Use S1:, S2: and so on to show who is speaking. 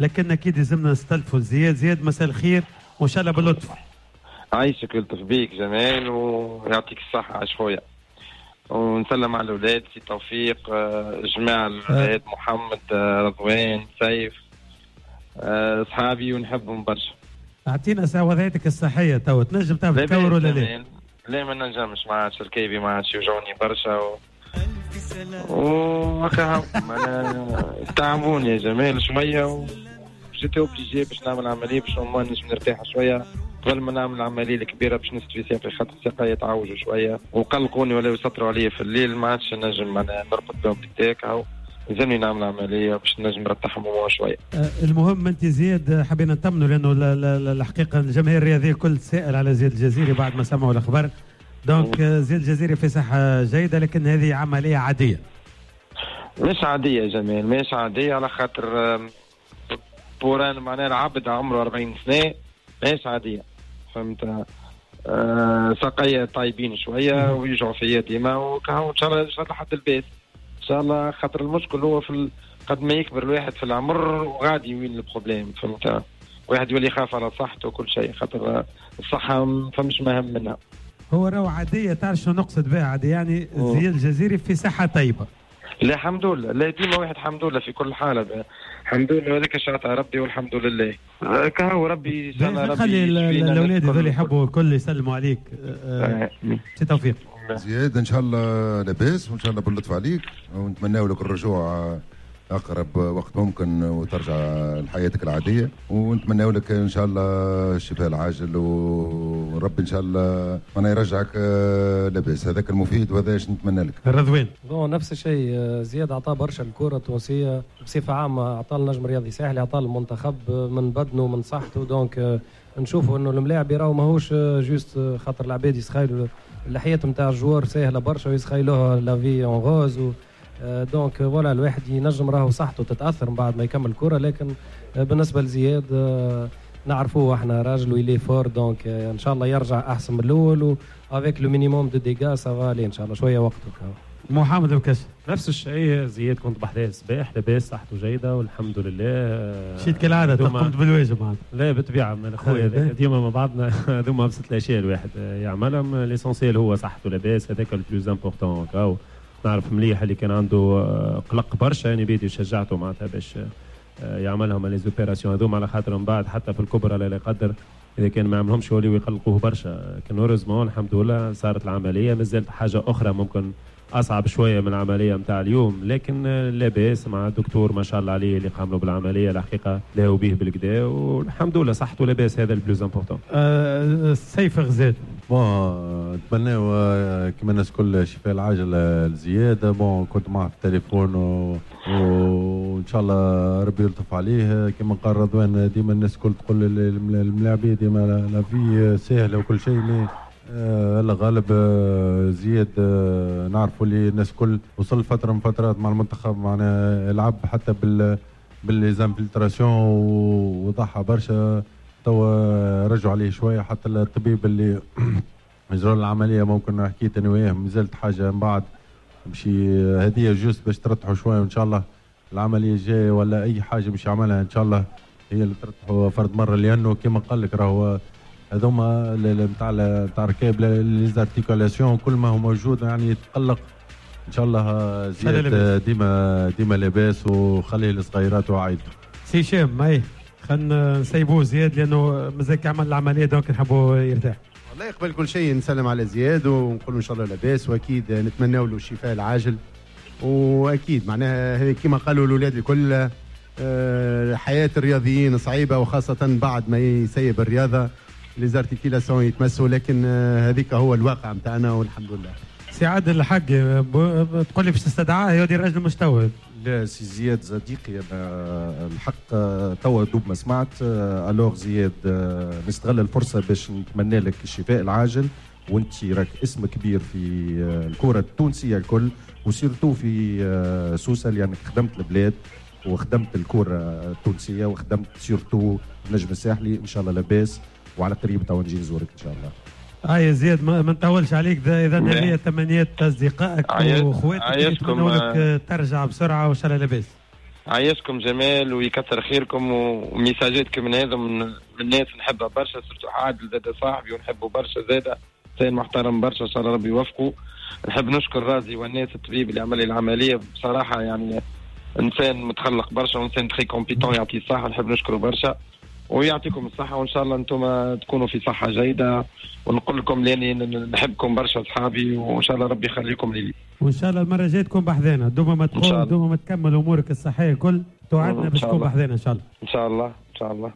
S1: لكن اكيد لازمنا نستلفوا زياد. زياد مساء الخير وان شاء الله باللطف.
S2: عايشك يلطف بيك جمال ويعطيك الصحة عايش خويا، ونسلم على الاولاد سي توفيق، جماعة الاولاد محمد، رضوان، سيف، اصحابي ونحبهم برشا.
S1: اعطينا ساعة وضعيتك الصحية تو، تنجم تعمل تكور ولا لا؟
S2: لا ما نجمش، ما عادش ركيبي ما عادش يوجعوني برشا وهكا تعبوني يا جمال شوية، j'étais obligé باش نعمل عملية باش ما نجم نرتاح شوية قبل ما نعمل العملية الكبيرة باش نستفي ساقي، خاطر ساقي يتعوجوا شوية وقلقوني ولا يسطروا عليا في الليل، ما عادش نجم انا نرقد بهم بالتاك، لازمني نعمل عملية باش نجم نرتاحهم شوية.
S1: المهم انت زياد حبينا نطمنوا لانه الحقيقة الجماهير الرياضية الكل تسأل على زياد الجزيري بعد ما سمعوا الاخبار. donc زياد الجزيري في صحة جيدة، لكن هذه عملية عادية.
S2: مش عادية يا جمال، مش عادية على خاطر بوران معناها العبد عمره 40 سنة مش عادية، فهمت؟ ساقيه طيبين شوية ويجعوا فيا ديما وكهو، ان شاء الله ان شاء الله حد البيت ان شاء الله، خاطر المشكل هو في قد ما يكبر الواحد في العمر وغادي وين ال problème، فهمت؟ واحد يولي يخاف على صحته وكل شيء، خاطر الصحة ما فماش مهم منها.
S1: هو راهو عادية، تعرف شنو نقصد بها عادية؟ يعني زياد الجزيري في صحة طيبة.
S2: لا الحمد لله، لا ديما واحد الحمد لله في كل حاله، الحمد لله هذاك شاطر ربي والحمد لله. كهو ربي ان شاء الله ربي
S1: خلي الاولاد هذول يحبوا الكل يسلموا عليك. سي توفيق.
S3: زياد ان شاء الله لاباس وان شاء الله باللطف عليك، ونتمنى لك الرجوع اقرب وقت ممكن وترجع لحياتك العادية، ونتمنى لك ان شاء الله الشفاء العاجل، وربي ان شاء الله انا يرجعك لاباس، هذاك المفيد وهذا اش نتمنى لك.
S1: رضوان
S4: bon نفس الشيء، زياد عطاه برشا الكره التونسية بصفة عامة، عطاه النجم الرياضي ساحلي، عطاه المنتخب من بدنه من صحته، donc نشوفوا انه الملاعب راهو ماهوش juste خاطر العباد يسخايلوا الحياة نتاع ال joueur ساهله برشا ويسخايلوها la vie en rose، donc voilà الواحد ينجم راهو صحته تتاثر من بعد ما يكمل الكره، لكن بالنسبة لزياد نعرفوه احنا راجل و il est fort، donc ان شاء الله يرجع احسن من الاول و avec le minimum de dégâts ça va aller ان شاء الله، شوية وقت.
S1: محمد بكاش
S5: نفس الشيء، زياد كنت بحذاه الصباح لاباس، صحته جيدة والحمد لله.
S1: مشيت كالعادة قمت بالواجب معناتها.
S5: لا بالطبيعة من خويا ديما مع بعضنا، هذوما ابسط الاشياء الواحد يعملهم، l'essentiel هو صحته لاباس، هذاك le plus important. نعرف مليح اللي كان عنده قلق برشا، يعني بيدي شجعته معناتها باش يعملهم les opérations هذوما، على خاطر من بعد حتى في الكبرى لا يقدر اذا كان ما عملهمش يوليو يقلقوه برشا. لكن heureusement الحمد لله صارت العملية، مازالت حاجة اخرى ممكن اصعب شوية من العملية نتاع اليوم، لكن لاباس مع الدكتور ما شاء الله عليه اللي قام له بالعملية، الحقيقة لاهو به بالكدا والحمد لله صحته لاباس، هذا ال plus important.
S1: سيف غزال
S6: bon نتمناو كما الناس الكل الشفاء العاجل لزياد. bon كنت معه في التليفون وان شاء الله ربي يلطف عليه. كما قال رضوان ديما الناس الكل تقول الملاعبيه ديما la vie ساهله وكل شيء، mais الله غالب زياد نعرفوا اللي الناس الكل وصل فترة من فترات مع المنتخب معناها لعب حتى بال les infiltrations وضحى برشا، توا رجعوا عليه شوية. حتى الطبيب اللي اجرى العملية ممكن حكيت انا وياه مازالت حاجة من بعد باش هذه juste باش ترتحوا شوية، وان شاء الله العملية الجاية ولا اي حاجة باش يعملها ان شاء الله هي اللي ترتحوا فرد مرة، لانه كما قال لك راهو هذوما نتاع ركاب les articulations كل ما هو موجود يعني يتقلق. ان شاء الله زياد ديما ديما لاباس وخليه لصغيراته وعائلته.
S1: سي هشام اي خلينا نسيبوه زياد لانه مازال كيعمل العملية donc نحبوه يرتاح.
S7: والله قبل كل شيء نسلم على زياد ونقول ان شاء الله لاباس، واكيد نتمنى له الشفاء العاجل، واكيد معناها كما قالوا الاولاد الكل حياة الرياضيين صعيبة، وخاصة بعد ما يسيب الرياضة les articulations يتمسوا، لكن هذيك هو الواقع نتاعنا والحمد لله.
S1: سي عادل الحق تقول لي باش تستدعاه يا ودي الراجل مستوعب.
S8: لا سي زياد صديقي انا الحق توا دوب ما سمعت. alors زياد نستغل الفرصة باش نتمنى لك الشفاء العاجل، وانت راك اسم كبير في الكره التونسية الكل، و surtout في سوسة لانك خدمت البلاد وخدمت الكره التونسية وخدمت surtout النجم الساحلي. ان شاء الله لاباس وعلى قريب تو نجي نزورك ان شاء الله.
S1: يا زياد ما نطولش عليك، اذا هذه تمنيات اصدقائك واخواتك يتمنوا لك ترجع بسرعة وان شاء الله لاباس.
S2: عايشكم جمال ويكثر خيركم، وميساجاتكم من هذا من الناس نحبها برشا، surtout عادل زاد صاحبي ونحبه برشا زاد، انسان محترم برشا، ان شاء الله ربي يوفقه. نحب نشكر رازي والناس الطبيب اللي عمل لي العملية، بصراحة يعني انسان متخلق برشا وانسان très compétent، يعطيه الصحة، نحب نشكره برشا ويعطيكم الصحة، وان شاء الله انتم تكونوا في صحة جيدة، ونقول لكم لاني نحبكم برشا اصحابي، وان شاء الله ربي يخليكم لي.
S1: وان شاء الله المرة الجاية تكون بحذانا، دوما ما تقول دوما ما تكمل امورك الصحية الكل، توعدنا باش تكون بحذانا ان شاء الله.
S2: ان شاء الله ان شاء الله.